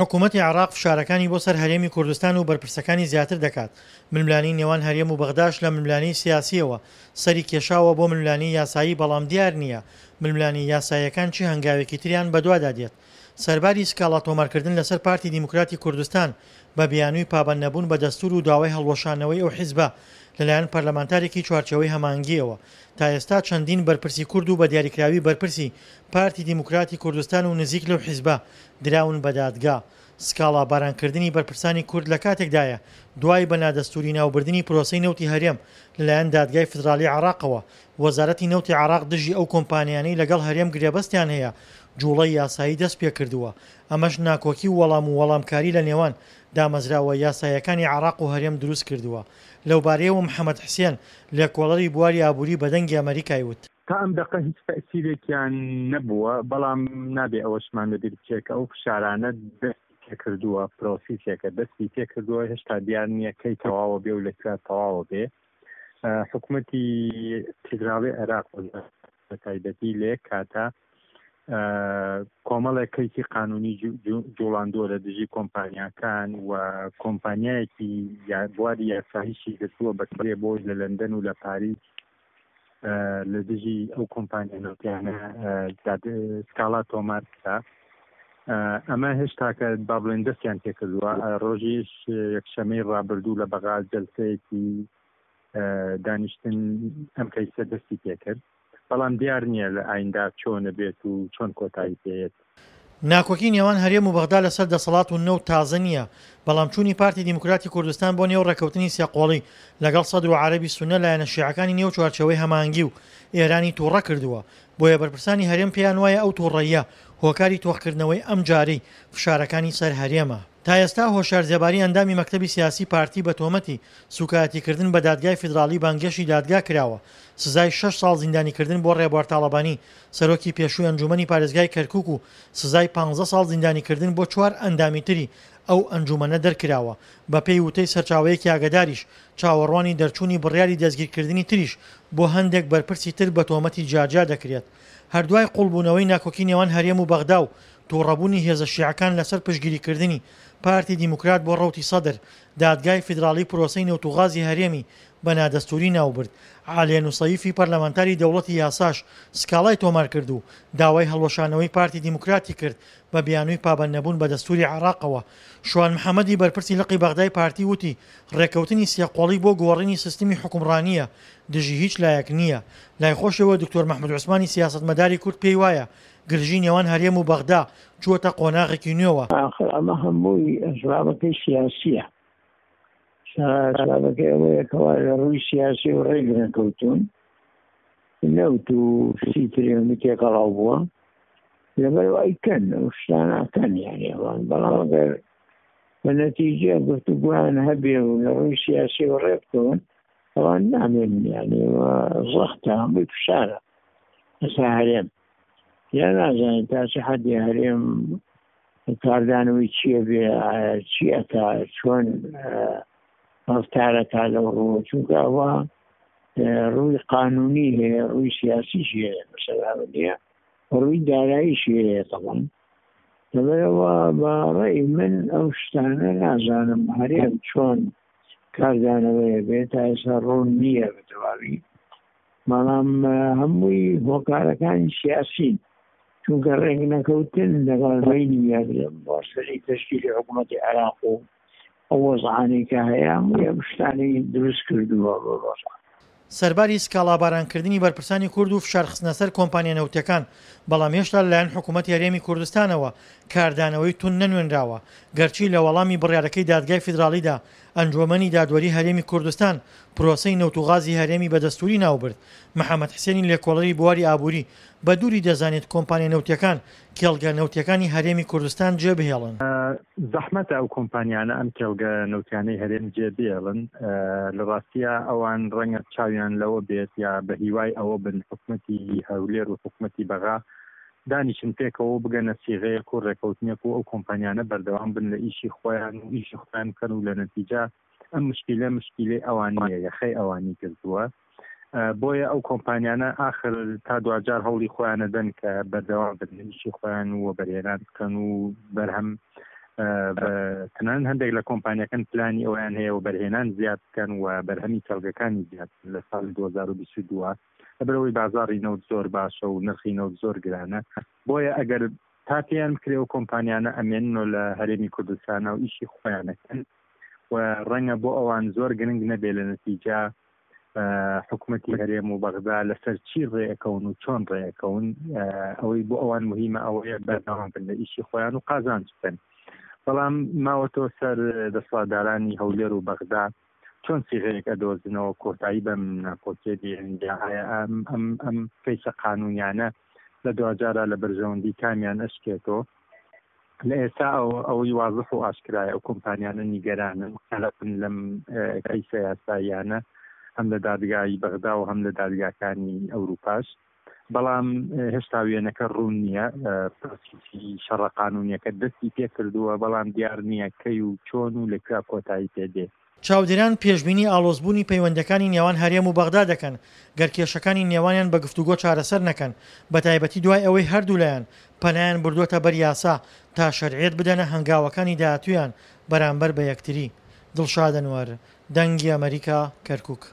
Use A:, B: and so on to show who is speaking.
A: حکوومەتی عێراق فشارەکانی بۆ سەر هەرێمی کوردستان و بەرپرسەکانی زیاتر دەکات، ململانێی نێوان هەرێم و بەغداش لە ململانێی سیاسییەوە سەری کێشاوە بۆ ململانێی یاسایی، بەڵام دیار نییە ململانێ یاساییەکان چی هەنگاوێکی تریان بەدوادا دێت. سەرباری سکاڵا تۆمارکردن لەسەر پارتی دیموکراتی کوردستان بە بیانووی پابەندنەبوون بە دەستوور و داوای هەڵوەشاندنەوەی ئەو حیزبە لەلایەن پەرلەمانتارێکی چوارچێوەی هەماهەنگییەوە تا ئێستا چەندین بەرپرسی کورد و بە دیاریکراوی بەرپرسی پارتی دیموکراتی کوردستان و نزیک لەو حیزبە دراون بە دادگا. سکاڵا بارانکردنی بەرپرسانی کورد لە کاتێکدایە دوای بە نادەستووری ناوبردنی پرۆسەی نەوتی هەرێم لەلایەن دادگای فیدراڵی عێراقەوە وەزارەتی نەوتی عێراق دژی ئەو کۆمپانیانەی لەگەڵ هەرێم گرێبەستیان هەیە جوڵەی یاسایی دەستپێکردووە، ئەمەش ناکۆکی و وەڵام و وەڵامکاری لە نێوان دامەزراوە یاساییەکانی عێراق و هەرێم دروستکردووە. لەوبارەیەوە محەمەد حسێن، لێکۆڵەری بواری ئابووری بە دەنگی ئەمەریکای وت.
B: تا ئەم دەقە هیچ تەئسیرێکیان نەبووە، بەڵام نابێ ئەوەشمان لەبیر بچێ کە ئەو فشارانە دەستی پێکردووە، پرۆسیسێکە دەستی پێکردووە، هێشتا دیار نییە کەی تەواوە بێ و لە کوێ تەواوە بێ. حکومەتی فیدراڵی عێراق بە تایبەتی لە یەک کاتە کۆمەڵێک کەیسی قانونی جوڵاندووە لە دژی کۆمپانیاکان و کۆمپانیایەکی بواری یاساییشی گرتووە بە کرێ بۆی لە لەندەن و لە پاریس لە دژی ئەو کۆمپانیا نەوتیانە سکاڵا تۆمار کرا. ئەمە هێشتاکە با بڵێن دەستیان پێکردووە. ڕۆژیش یەکشەمەی ڕابردوو لە بەغا جەلسەیەکی دانیشتن ئەم کەیسە دەستی پێکرد، بەڵام دیار نییە لە ئایندا چۆنە بێت و چۆن کۆتایی پێیەت.
A: ناکۆکی نێوان هەرێم و بەغدا لەسەر دەسەڵات و نەوت تازە نییە، بەڵام چوونی پارتی دیموکراتی کوردستان بۆ نێو ڕێککەوتنی سێقۆڵی لەگەڵ سەدر و عەرەبی سوننە لایەنە شیعەکانی نێو چوارچێوەی هەماهەنگی و ئێرانی تووڕە کردووە، بۆیە بەرپرسانی هەرێم پێیان وایە ئەو تووڕەییە هۆکاری تۆخکردنەوەی ئەمجارەی فشارەکانی سەر هەرێمە. تا ئێستا هۆشیار زێباری ئەندامی مەکتەبی سیاسی پارتی بە تۆمەتی سوکایەتیکردن بە دادگای فیدراڵی بانگێشی دادگا کراوە، سزای شەش ساڵ زیندانیکردن بۆ ڕێبوار تاڵەبانی سەرۆکی پێشووی ئەنجوومەنی پارێزگای کەرکوک و سزای پانزە ساڵ زیندانیکردن بۆ چوار ئەندامی تری ئەو ئەنجوومەنە دەرکراوە، بەپێی وتەی سەرچاوەیەکی ئاگەداریش چاوەڕوانی دەرچوونی بڕیاری دەستگیرکردنی تریش بۆ هەندێک بەرپرسی تر بە تۆمەتی جیاجیا دەکرێت. هەر دوای قوڵبوونەوەی ناکۆکی نێوان هەرێم و بەغدا و توڕەبوونی هێزە شیعەکان لەسەر پشتگیریکردنی پارتی دیموکرات بۆ ڕەوتی سەدر، دادگای فیدراڵی پرۆسەی نەوت و غازی هەرێمی بە نادەستووری ناوبرد. عالیە نوسەیفی پەرلەمانتاری دەوڵەتی یاساش سکاڵای تۆمارکرد و داوای هەڵوەشانەوەی پارتی دیموکراتی کرد بە بیانووی پابەندنەبوون بە دەستووری عێراقەوە. شوان محەمەدی بەرپرسی لقی بەغدای پارتی وتی، ڕێککەوتنی سێقۆڵی بۆ گۆڕینی سیستمی حوکمڕانییە، دژی هیچ لایەک نییە. لای خۆشیەوە دکتۆر مەحمود عوسمانی سیاسەتمەداری کورد پێی وایە گرژی نێوان هەرێم و بەغدا چووەتە قۆناغێکی نوێوە.
C: ئاخر ئەمە هەمووی ئەسبابەکەی سیاسییە. ئەسبابەکەی ئەوەیە کەوا لە ڕووی سیاسیەوە ڕێک نەکەوتوون. نەوت و شتی تری هەموو تێکەڵاو بووە. لەبەر ئەوە ئەیکەن ئەو شتانە ئەکەن یانی ئەوان. بەڵام ئەگەر بە نەتیجە گفتوگۆیان هەبێ و لە ڕووی سیاسیەوە ڕێک بکەون ئەوان نامێنن یانی ئەوە زەختە هەمووی فشارە لەسەر هەرێم. یا نازانین تا چ حەدی هەرێم کاردانەوەی چییە بێ چی ئەکا چۆن ڕفتارەکە لەو ڕووە چونکە ئەوە ڕووی قانونی هەیە ڕووی سیاسیش هەیە مەسەلە نییە ڕووی داراییشی هەیە تەڵم لەبەرەوە بە ڕێی من ئەو شتانە نازانم هەرێم چۆن کاردانەوەیە بێت تا ئێستا ڕوون نییە بە تەواوی بەڵام هەمووی هۆکارەکانی سیاسین چونکە ڕێک نەکەوتن لەگەڵ بینی یاگرم بۆ سەری تەشکیلی حکوومەتی عێراق و ئەو وەزعانەی کە هەیە هەمووی ئەم شتانەی دروست کردووە بۆ ڕۆژان.
A: سەرباری سکاڵابارانکردنی بەرپرسانی کورد و فشارخستنە سەر کۆمپانیا نەوتیەکان، بەڵام هێشتا لەلایەن حکوومەتی هەرێمی کوردستانەوە کاردانەوەی توند نەنوێنراوە، گەرچی لە وەڵامی بڕیارەکەی دادگای فیدراڵیدا ئەنجوەمەنی دادوەری هەرێمی کوردستان پرۆسەی نەوت و غازی هەرێمی بە دەستووری ناوبرد، محەمەد حسێنی لێکۆڵەری بواری ئابووری بە دووری دەزانێت کۆمپانیا نەوتیەکان کێڵگە نەوتیەکانی هەرێمی کوردستان جێبهێڵن.
B: زەحمەتە ئەو کۆمپانیانە ئەم کێڵگە نەوتیانەی هەرێم جێبێڵن، لە ڕاستیا ئەوان ڕەنگە چاویان لەوە بێت یا بە هیوای ئەوە بن حکومەتی هەولێر و حکومەتی بەغا دانیشن پێکەوە و بگەنە سیغەیەک و ڕێکەوتنێک و ئەو کۆمپانیانە بەردەوام بن لە ئیشی خۆیان و ئیشی خۆیان بکەن و لە نەتیجە ئەم مشکیلە مشکیلەی ئەوان نییە یەخەی ئەوانی گرتووە بۆیە ئەو کۆمپانیانە ئاخر تا دواجار هەوڵی خۆیانە دەن کە بەردەوام بن لە ئیشی خۆیان و وەبەرهێنان بکەن و بەرهەم تەنانەت هەندێک لە کۆمپانیەکان پلانی ئەویان هەیە و بەرهێنان زیاد بکەن و بەرهەمی کەڵگەکانی زیاد لە ساڵی 2022 لەبەرئەوەی بازاڕی نەوت زۆر باشە و نرخی نەوت زۆر گرانە بۆیە ئەگەر تا پێیان بکرێ و کۆمپانیانە ئەمێننەوە لە هەرێمی کوردستانە و ئیشی خۆیانەکەن و ڕەنگە بۆ ئەوان زۆر گرنگ نەبێ لە نەتیجە حکوومەتی هەرێم و بەغدا لەسەر چی ڕێەکەون و چۆن ڕێەکەون ئەوەی بۆ ئەوان مهمە ئەوەیە بەردەوام بن لە ئیشی خۆیان و قازانج بکەن بەڵام ماوەتەوە سەر دەسەڵاتدارانی هەولێر و بەغدا چۆن سیغەیەک ئەدۆزنەوە کۆتایی بەم ناکۆکیە دێنن یا ئایا ئەم ئەم ئەم کەیسە قانونیانە لە دواجارا لە بەرژەوەندی کامیان ئەشکێتەوە لە ئێستا ئەو ئەوەی وازح و ئاشکرایە ئەو کۆمپانیانە نیگەرانن قەلەقن لەم کەیسە یاساییانە هەم لە دادگای بەغدا و هەم لە دادگاکانی ئەوروپاش بەڵام هێشتا وێنەکە ڕوون نییە پرۆسیسی شەڕە قانونیەکە دەستی پێکردووە بەڵام دیار نییە کەی و چۆن و لەکوێ کۆتایی پێدێ.
A: چاودێران پێشبینی ئاڵۆزبوونی پەیوەندییەکانی نێوان هەرێم و بەغدا دەکەن، گەر کێشەکانی نێوانیان بە گفتوگۆ چارەسەر نەکەن، بەتایبەتی دوای ئەوەی هەردوولایان پەنایان بردووەتە بەر یاسا تا شەرعیەت بدەنە هەنگاوەکانی داهاتوویان بەرامبەر بە یەکتری. دڵشاد ئەنوەر، دەنگی ئەمەریکا، کەرکوک.